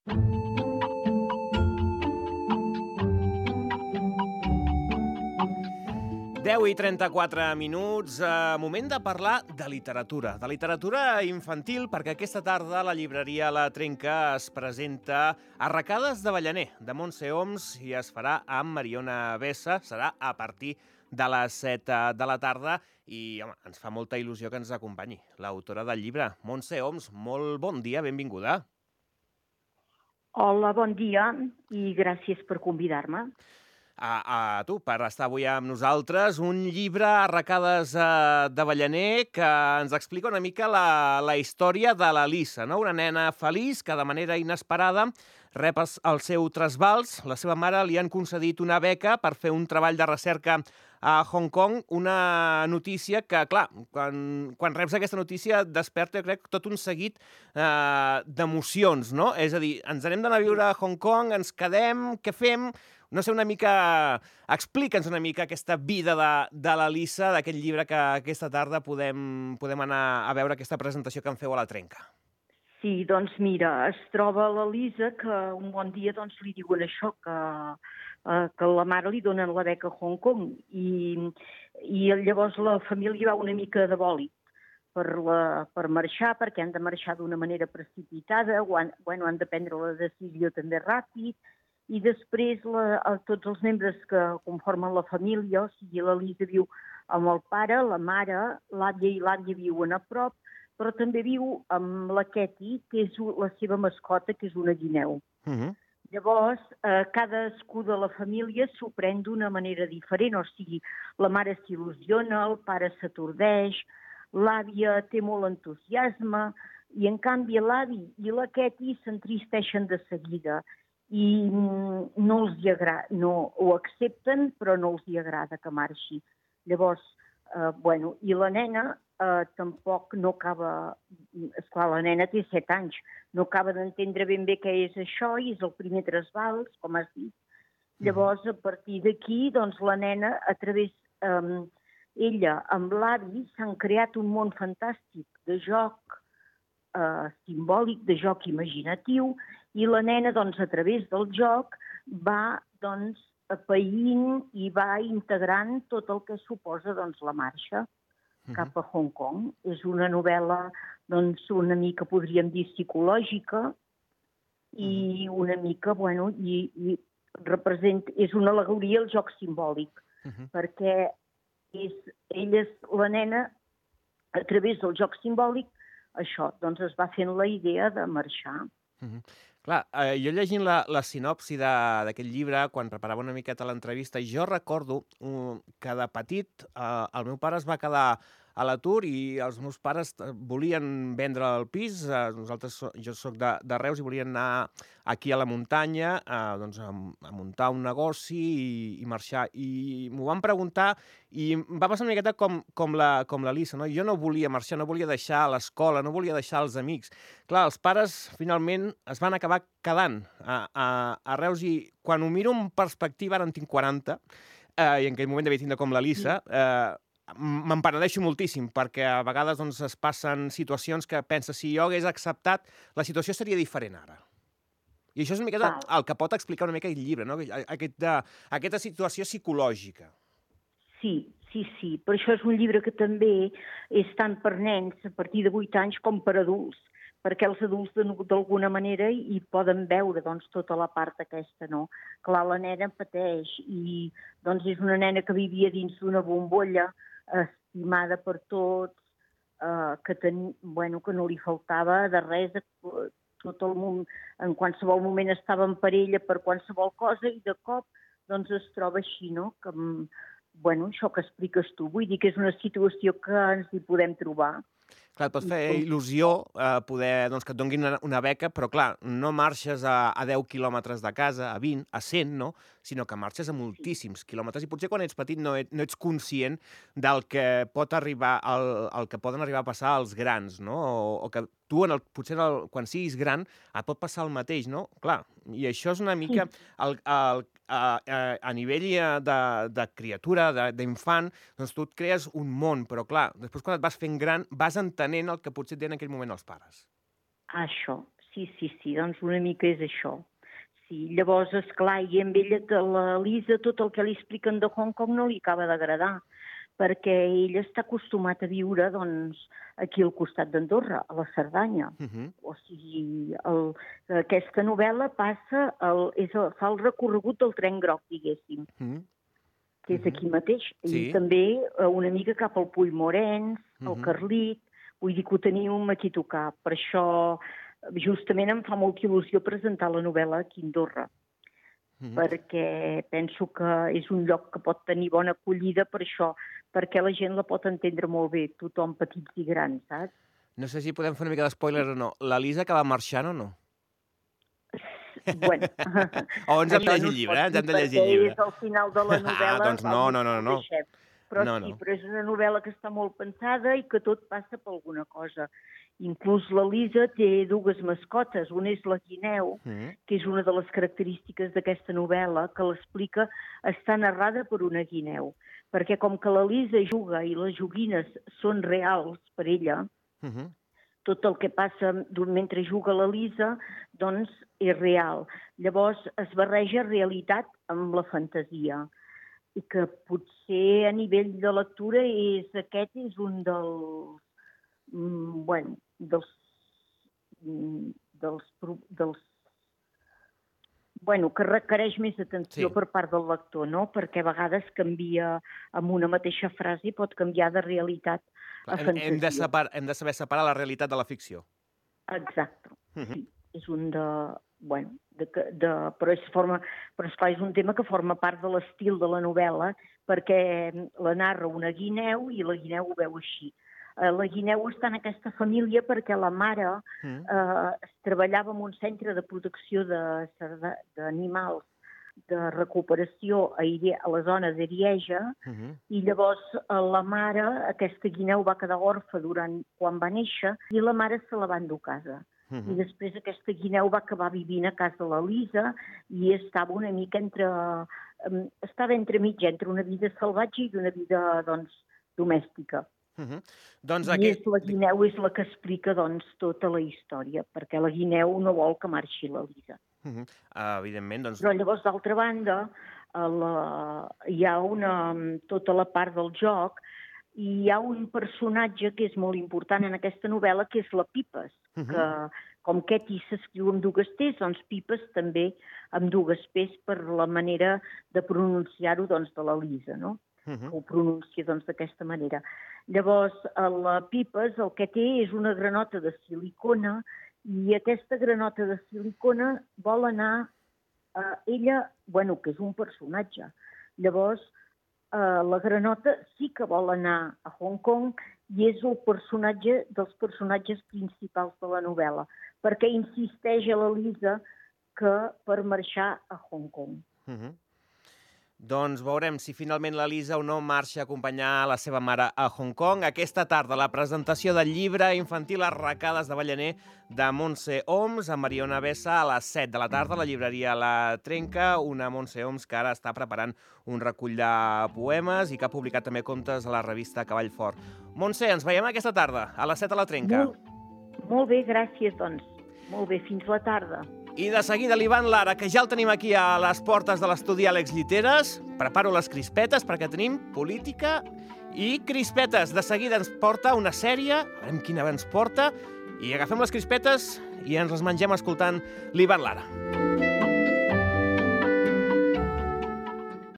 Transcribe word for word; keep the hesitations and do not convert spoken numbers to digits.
deu i trenta-quatre minuts, eh, moment de parlar de literatura, de literatura infantil, perquè aquesta tarda la llibreria La Trenca es presenta Arracades d'Avellaner, de Montse Oms, i es farà amb Mariona Bessa. Serà a partir de les set de la tarda i home, ens fa molta il·lusió que ens acompanyi l'autora del llibre. Montse Oms, molt bon dia, benvinguda. Hola, bon dia i gràcies per convidar-me. A, a tu, per estar avui amb nosaltres. Un llibre, Arracades eh, d'Avellaner, que ens explica una mica la, la història de la Lisa, no? Una nena feliç que de manera inesperada rep el seu trasbals. La seva mare li han concedit una beca per fer un treball de recerca a Hong Kong, una notícia que, clar, quan, quan reps aquesta notícia desperta, jo crec, tot un seguit eh, d'emocions, no? És a dir, ens anem d'anar a viure a Hong Kong, ens quedem, què fem? No sé, una mica... Explica'ns una mica aquesta vida de, de la Lisa, d'aquest llibre que aquesta tarda podem, podem anar a veure aquesta presentació que en feu a La Trenca. Sí, doncs mira, es troba la Lisa que un bon dia doncs, li diuen això, que, eh, que la mare li donen la beca a Hong Kong i, i llavors la família va una mica de bòlit per, la, per marxar, perquè han de marxar d'una manera precipitada, o han, bueno, han de prendre la decisió també ràpid, i després la, tots els membres que conformen la família, o sigui, la Lisa viu amb el pare, la mare, l'àvia i l'àvia viuen a prop, però també viu amb la Katie, que és la seva mascota, que és una guineu. Uh-huh. Llavors, eh, cadascú de la família s'ho pren d'una manera diferent, o sigui, la mare s'il·lusiona, el pare s'atordeix, l'àvia té molt entusiasme, i en canvi l'avi i la Katie s'entristeixen de seguida, i no els hi agrada, no ho accepten, però no els hi agrada que marxi. Llavors, eh, bueno, i la nena eh, tampoc no acaba, esclar, la nena té set anys, no acaba d'entendre ben bé què és això, i és el primer trasbals, com has dit. Llavors, a partir d'aquí, doncs, la nena, a través, eh, ella amb l'avi, s'han creat un món fantàstic de joc eh, simbòlic, de joc imaginatiu, i la nena, doncs, a través del joc, va, doncs, apaïnt i va integrant tot el que suposa, doncs, la marxa cap a Hong Kong. És una novel·la, doncs, una mica, podríem dir, psicològica i una mica, bueno, i, i representa, és una al·legoria al joc simbòlic, uh-huh. perquè és, ella és la nena, a través del joc simbòlic, això, doncs, es va fent la idea de marxar. Uh-huh. Clar, eh, jo llegint la, la sinopsi d'aquest llibre, quan preparava una miqueta l'entrevista, jo recordo um, que de petit eh, el meu pare es va quedar a l'atur i els meus pares volien vendre el pis. Eh, nosaltres, jo soc de, de Reus i volien anar aquí a la muntanya eh, doncs a, a muntar un negoci i, i marxar. I m'ho van preguntar i em va passar una miqueta com, com, la, com la Lisa, no? Jo no volia marxar, no volia deixar l'escola, no volia deixar els amics. Clar, els pares finalment es van acabar quedant a, a, a Reus i quan ho miro en perspectiva, ara en tinc quaranta, eh, i en aquell moment devia tindre com la Lisa, eh, me'n penedeixo moltíssim, perquè a vegades doncs, es passen situacions que penses, si jo hagués acceptat, la situació seria diferent ara. I això és una miqueta el que pot explicar una mica el llibre, no? Aquesta, aquesta situació psicològica. Sí, sí, sí. Per això és un llibre que també és tant per nens a partir de vuit anys com per adults, perquè els adults d'alguna manera hi poden veure doncs, tota la part aquesta, no? Clar, la nena pateix i doncs, és una nena que vivia dins d'una bombolla, estimada per tots, eh, que, ten, bueno, que no li faltava de res, tot el món, en qualsevol moment estava en parella per qualsevol cosa i de cop doncs, es troba així, no? Que, bueno, això que expliques tu, vull dir que és una situació que ens hi podem trobar. Clar, et pot fer il·lusió eh, poder doncs, que et donguin una, una beca, però clar, no marxes a, a deu quilòmetres de casa, a vint, a cent, no? Sinó que marxes a moltíssims quilòmetres i potser quan ets petit no, et, no ets conscient del que pot arribar, el, el que poden arribar a passar als grans, no? O, o que tu, en el, potser en el, quan siguis gran, et pot passar el mateix, no? Clar, i això és una mica el, el, a, a, a nivell de, de criatura, d'infant, doncs tu et crees un món, però clar, després quan et vas fent gran vas entenent el que potser et deien en aquell moment els pares. Això, sí, sí, sí, doncs una mica és això. Sí, llavors, esclar, i amb ella, que la Lisa, tot el que li expliquen de Hong Kong no li acaba d'agradar, perquè ell està acostumat a viure, doncs, aquí al costat d'Andorra, a la Cerdanya. Uh-huh. O sigui, el, aquesta novel·la passa, el, és el, fa el recorregut del tren groc, diguéssim, uh-huh. que és aquí mateix. Sí. I també una mica cap al Puig Morens, uh-huh. al Carlit, vull dir que ho tenim aquí a tocar. Per això, justament em fa molta il·lusió presentar la novel·la aquí a Andorra, uh-huh. perquè penso que és un lloc que pot tenir bona acollida per això, perquè la gent la pot entendre molt bé, tothom, petits i grans, saps? No sé si podem fer una mica d'espoiler o no. La Lisa acaba marxant o no? Bueno. O ens hem de llegir el llibre, eh? Ens hem de llegir el llibre. És al final de la novel·la. Ah, doncs no, no, no, no. Però no, sí, no. però és una novel·la que està molt pensada i que tot passa per alguna cosa. Inclús la Lisa té dues mascotes. Una és la guineu, mm. que és una de les característiques d'aquesta novel·la, que l'explica, està narrada per una guineu. Perquè com que la Lisa juga i les joguines són reals per ella, mm-hmm. tot el que passa mentre juga la Lisa, doncs és real. Llavors es barreja realitat amb la fantasia. I que potser a nivell de lectura és, aquest és un dels, mm, bueno, dels, mm, dels, dels, bueno, que requereix més atenció sí. per part del lector, no? Perquè a vegades canvia amb una mateixa frase i pot canviar de realitat a fantasia. Hem de, separ, hem de saber separar la realitat de la ficció. Exacte, uh-huh. sí. És un de... Bueno, de, de, però, és forma, però esclar, és un tema que forma part de l'estil de la novel·la, perquè la narra una guineu i la guineu ho veu així. Eh, la guineu està en aquesta família perquè la mare mm. eh, treballava en un centre de protecció d'animals de recuperació a, Ire, a la zona d'Arieja, mm-hmm. i llavors eh, la mare, aquesta guineu va quedar orfa durant, quan va néixer, i la mare se la va endur a casa. Uh-huh. I després aquesta guineu va acabar vivint a casa de la Lisa i estava una mica entre... Um, estava entre mig, entre una vida salvatge i una vida, doncs, domèstica. Uh-huh. Doncs I aquest... és la guineu és la que explica, doncs, tota la història, perquè la guineu no vol que marxi la Lisa. Uh-huh. Uh, evidentment, doncs... Però llavors, d'altra banda, la... hi ha una... tota la part del joc. I hi ha un personatge que és molt important en aquesta novel·la, que és la Pipes, uh-huh. que com Ketty s'escriu amb dues T's, doncs Pipes també amb dues P's per la manera de pronunciar-ho, doncs, de la Lisa, no? Uh-huh. Que ho pronuncia, doncs, d'aquesta manera. Llavors, la Pipes el que té és una granota de silicona i aquesta granota de silicona vol anar a ella, bueno, que és un personatge. Llavors, Uh, la granota sí que vol anar a Hong Kong i és el personatge dels personatges principals de la novel·la, perquè insisteix a la Lisa que per marxar a Hong Kong. Uh-huh. Doncs veurem si finalment la Lisa o no marxa a acompanyar la seva mare a Hong Kong. Aquesta tarda, la presentació del llibre infantil Arracades de Ballaner de Montse Oms amb Mariona Bessa a les set de la tarda a la llibreria La Trenca, una Montse Oms que ara està preparant un recull de poemes i que ha publicat també contes a la revista Cavall Fort. Montse, ens veiem aquesta tarda, a les set a la Trenca. Molt, molt bé, gràcies, doncs. Molt bé, fins la tarda. I de seguida l'Ivan Lara, que ja el tenim aquí a les portes de l'estudi Àlex Lliteres. Preparo les crispetes perquè tenim política i crispetes. De seguida ens porta una sèrie, veurem quina ens porta, i agafem les crispetes i ens les mengem escoltant l'Ivan Lara.